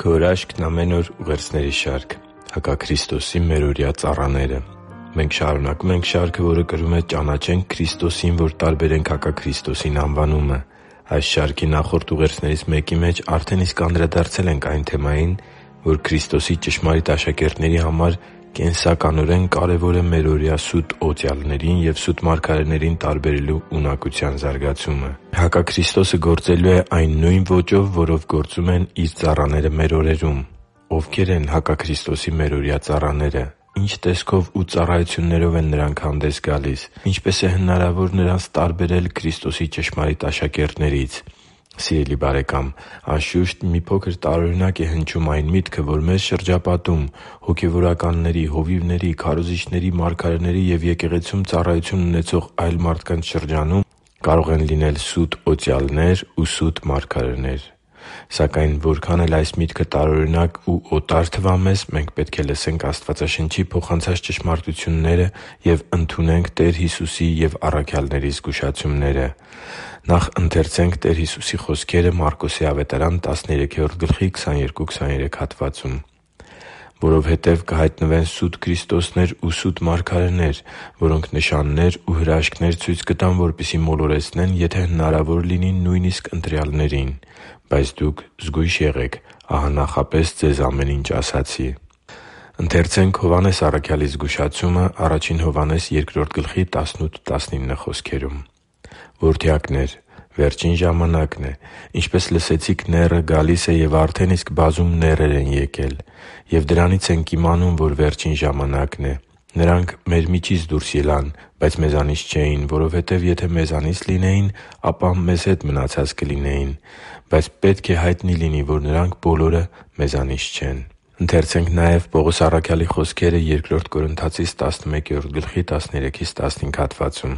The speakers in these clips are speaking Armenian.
Քո հրաշքն ամեն օր ուղերձների շարք։ Հակաքրիստոսի մերօրյա ծառաները։ Մենք շարունակում ենք շարքը, որը կրում է «Ճանաչենք Քրիստոսին, որ տարբերենք հակաքրիստոսին» անվանումը։ Այս շարքի նախորդ ուղերձներից մեկի մեջ արդեն իսկ անդրադարձել ենք այն թեմային, որ Քրիստոսի ճշմարիտ աշակերտների համար կենսականորեն կարևոր է մերօրյա սուտ օծյալներին և սուտ մարգարեներին տարբերելու ունակության զարգացումը։ Հակաքրիստոսը գործելու է այն նույն ոճով, որով գործում են Իր ծառաները մեր օրերում։ Ովքե՞ր են հակաքրիստոսի մերօրյա ծառաները։ Ի՞նչ տեսքով ու ծառայություններով են նրանք հանդես գալիս։ Ինչպե՞ս է հնարավոր նրանց տարբերել Քրիստոսի ճշմարիտ աշակերտներից։ Սիրելի՛ բարեկամ, անշուշտ, մի փոքր տարօրինակ է հնչում այն միտքը, որ մեզ շրջապատում հոգևորականների, հովիվների, քարոզիչների, մարգարեների և եկեղեցում ծառայություն ունեցող այլ մարդկանց շրջանում կարող են լինել սուտ օծյալներ ու սուտ մարգարեներ։ Սակայն որքան էլ այս միտքը տարօրինակ ու օտար թվա մեզ, մենք պետք է լսենք Աստվածաշնչի փոխանցած ճշմարտությունները և ընդունենք Տեր Հիսուսի և առաքյալների զգուշացումները։ Նախ ընթերցենք Տեր Հիսուսի խոսքերը Մարկոս 13:22-23 հատվածում. «Որովհետև կհայտնվեն սուտ քրիստոսներ ու սուտ մարգարեներ, որոնք նշաններ ու հրաշքներ ցույց կտան, որպեսզի մոլորեցնեն, եթե հնարավոր լինի, նույնիսկ ընտրյալներին։ Բայց դուք զգույշ եղեք. ահա նախապես ձեզ ամեն ինչ ասացի» «Որդյակնե՛ր, վերջին ժամանակն է։ Ինչպես լսեցիք, նեռը գալիս է, և արդեն իսկ բազում նեռեր են եկել։ Եվ դրանից ենք իմանում, որ վերջին ժամանակն է։ Նրանք մեր միջից դուրս ելան, բայց մեզանից չէին, որովհետև եթե մեզանից լինեին, ապա մեզ հետ մնացած կլինեին։ Բայց պետք է հայտնի լինի, որ նրանք բոլորը մեզանից չեն»։ Ընթերցենք նաև Պողոս առաքյալի խոսքերը Բ Կորնթացիս 11:13-15 հատվածում.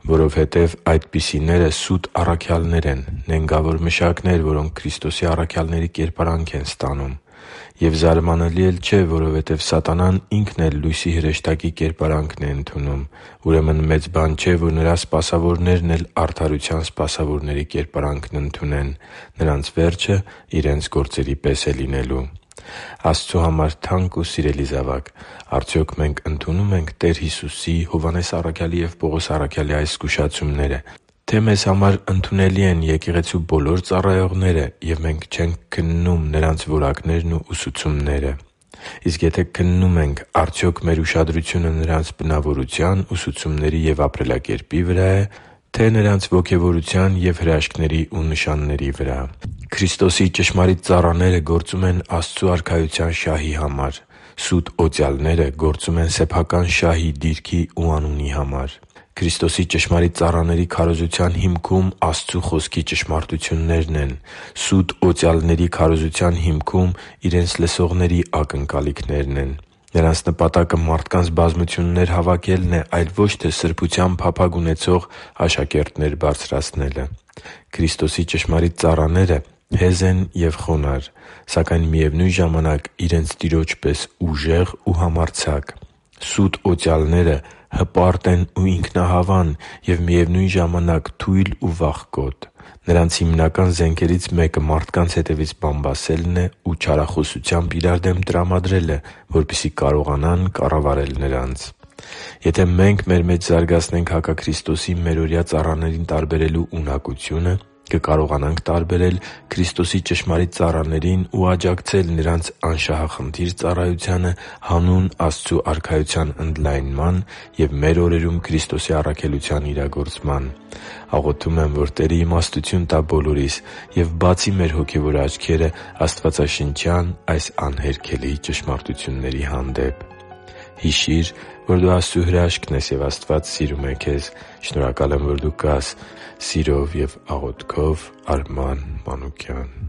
«Որովհետև այդպիսիները սուտ առաքյալներ են, նենգավոր մշակներ, որոնք Քրիստոսի առաքյալների կերպարանք են ստանում։ Եվ զարմանալի էլ չէ, որովհետև սատանան ինքն էլ լույսի հրեշտակի կերպարանքն է ընդունում։ Ուրեմն մեծ բան չէ, որ նրա սպասավորներն էլ արդարության սպասավորների կերպարանքն ընդունեն։ Նրանց վերջը իրենց գործերի պես է լինելու» Աստծու համար թանկ ու սիրելի՛ զավակ, արդյոք մենք ընդունո՞ւմ ենք Տեր Հիսուսի, Հովհաննես առաքյալի և Պողոս առաքյալի այս զգուշացումները։ Թե՞ մեզ համար ընդունելի են եկեղեցու բոլոր ծառայողները, և մենք չենք քննում նրանց որակներն ու ուսուցումները։ Իսկ եթե քննում ենք, արդյոք մեր ուշադրությունը նրանց բնավորության, ուսուցումների և ապրելակերպի վրա է, թե՞ նրանց ոգևորության և հրաշքների ու նշանների վրա։ Քրիստոսի ճշմարիտ ծառաները գործում են Աստծու Արքայության շահի համար։ Սուտ օծյալները գործում են սեփական շահի, դիրքի ու անունի համար։ Քրիստոսի ճշմարիտ ծառաների քարոզության հիմքում Աստծու Խոսքի ճշմարտություններն են։ Սուտ օծյալների քարոզության հիմքում իրենց լսողների ակնկալիքներն են։ Նրանց նպատակը մարդկանց բազմություններ հավաքելն է, այլ ոչ թե սրբության փափագ ունեցող աշակերտներ բարձրացնելը։ Քրիստոսի ճշմարիտ ծառաները հեզ են և խոնարհ, սակայն միևնույն ժամանակ իրենց Տիրոջ պես ուժեղ ու համարձակ։ Սուտ օծյալները հպարտ են ու ինքնահավան և միևնույն ժամանակ թույլ ու վախկոտ։ Նրանց հիմնական զենքերից մեկը մարդկանց հետևից բամբասելն է ու չարախոսությամբ իրար դեմ տրամադրելը, որպեսզի կարողանան կառավարել նրանց։ Եթե մենք մեր մեջ զարգացնենք հակաքրիստոսի մերօրյա ծառաներին տարբերելու ունակությունը, կկարողանանք տարբերել Քրիստոսի ճշմարիտ ծառաներին ու աջակցել նրանց անշահախնդիր ծառայությանը հանուն Աստծու Արքայության ընդլայնման և մեր օրերում Քրիստոսի առաքելության իրագործման։ Աղոթում եմ, որ Տերը իմաստություն տա բոլորիս և բացի մեր հոգևոր աչքերը աստվածաշնչյան այս անհերքելի ճշմարտությունների հանդեպ։ Հիշի՛ր, որ դու Աստծո հրաշքն ես, և Աստված սիրում է քեզ։ Շնորհակալ եմ, որ դու կա՛ս։ Սիրով և աղոթքով, Արման Մանուկյան։